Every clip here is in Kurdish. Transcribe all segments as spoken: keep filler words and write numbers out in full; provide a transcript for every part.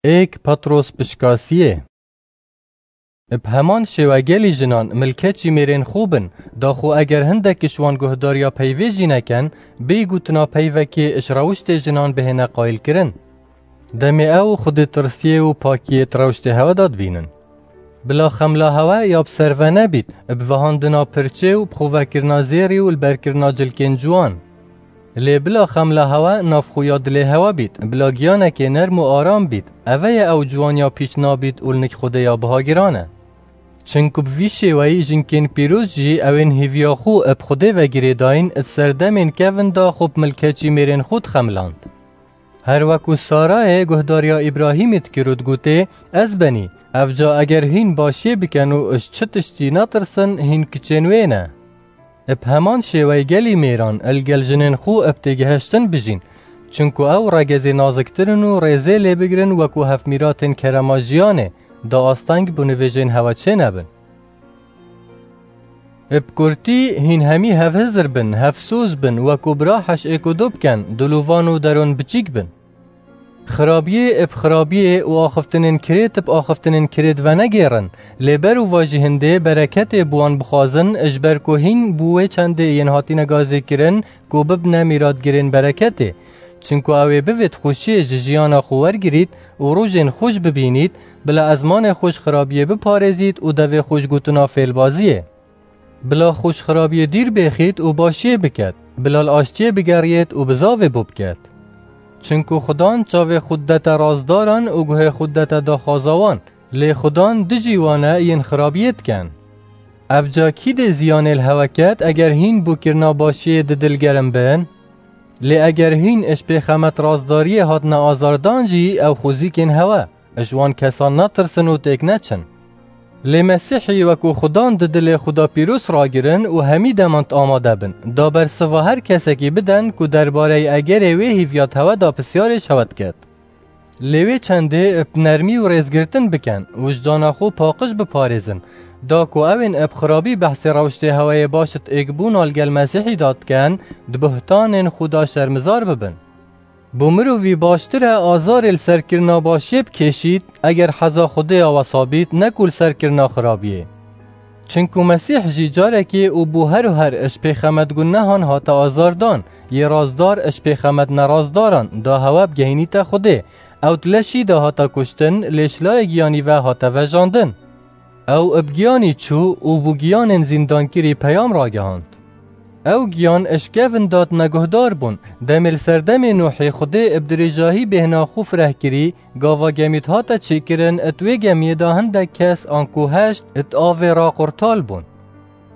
Êk Petros pişkasiyê. Bi heman şêwe gelî jinan milkeçî mêrên xwe bin, daxo eger hindek ji wan guhdariya peyvê jî nekin, bêyî gotina peyvekê ji rewiştê jinan bihêne qayilkirin. Demê ew Xwedê tirsiyê û pakiyê di rewştê hewe de dibînin. Bila xemla hewe ya bi ser ve nebît, bi vehandina pirçê û bi xwe vekirina zêrî û li berkirina cilkên ciwan. Lê bila xemla hewe nav xwe ya dilê hewe bît, bila giyanekê nerm û aram bît, eve ye ew ciwaniya pîç nabît û li nik Xwedê ya bihagiran e. Çinku bi vî şêweyî jinkên pîroz jî ewên hîviya xwe bi Xwedê ve girêdayîn di serdemên kevin de xwe bi milkeçî mêrên xwe dixemiland. Her weku Sarayê guhdariya Îbrahîmî dikir û digotê, Ez benî, ev ca eger hîn başiyê bikin û ji çi tiştî netirsin, hîn kiçên wê ne. Bi heman şêweyî gelî mêran li gel jinên xwe bi têgihiştin bijîn, çinku ew regezê naziktir in û rêzê lê bigirin weku hevmîratên kerema jiyanê, da asteng bi nivêjên hewe çênebin. Bi kurtî, hîn hemî hevhizir bin, hevsoz bin, weku bira heş êk û du bikin, dilovan û deron biçîk bin. Xirabiyê bi xirabiyê û axiftinên kirêt bi axiftinên kirêt venegêrin, lê ber û va jî hindê bereketê bi wan bixwazin, ji ber ku hîn bû wê çendê yên hatine gazêkirin ku bibine mîratgirên bereketê. Çinku ew ê bivêt xweşiyê ji jiyana xwe wergirît û rojên xweş bibînît, bila ezmanê xwe ji xirabiyê biparêzît û devê xwe ji gotina fêlbaziyê. Bila xwe ji xirabiyê dîr bêxît û başiyê biket, bila li aştiyê bigeriyêt û bizavê bo biket. Çinku Xudan çavê xwe didete razdaran û guhê xwe didete daxwaza wan, lê Xudan dijî wan e yên xirabiyê dikin. Ev ca kî dê ziyanê li hewe ket eger hîn bûkirina başiyê di dil gerim bin? Lê eger hîn ji pêxemet razdariyê hatine azardan jî ew xwezîkên hewe, ji wan kesan netirsin û têk neçin. Lê Mesîhî weku Xudan di dilê xwe de pîroz ragirin û hemî deman amade bin, da bersiva her kesekî bidin ku derbareyê egerê wê hîviya di hewe de pisyarê ji hewe diket. Lê wê çendê bi nermî û rêzgirtin bikin, wijdana xwe paqij biparêzin, da ku ewên bi xirabî behsê rewştê hewayê baş di êkbûna li gel Mesîhî de dikin, di buhtanên xwe de şermizar bibin. Bo mirovî baştir e azarê li serkirina başiyê bikêşît, eger heza Xwedê ya wesa bît, ne ku li serkirina xirabiyê. Çinku Mesîh jî carekê û bo her û her ji pêxemet gunehan hate azardan, yê razdar ji pêxemet nerazdaran da hewe bigehînîte Xwedê. Ew di leşî de hate kuştin, lê ji layê giyanî ve hate vejandin. Ew bi giyanî çû û bo giyanên zîndankirî peyam ragihand. Ew giyan ji kevin de hatine guhdar bûn. Demê li serdemê Nûhê Xwedê bi dirêjahî bêhna xwe fireh kirî, gava gemî dihate çêkirin, di wê gemiyê de hindek kes anku heşt di avê re qurtal bûn.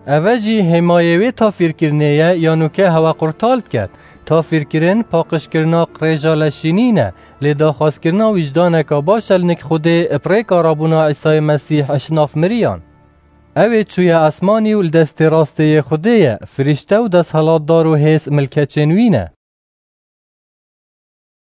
Eve jî hêmayê wê tafîrkirinê ye, ya nûke hewe qurtal diket. Tafîrkirin, paqijkirina qirêja leşînî ne, lê daxwazkirina wîjdaneka baş e li nik Xwedê bi rêka rabûna Îsayê Mesîh ji nav miriyan. Ew ê çûye esmanî û li destê rastê yê Xwedê ye, firîşte û desthilatdar û hêz milkeçên wî ne.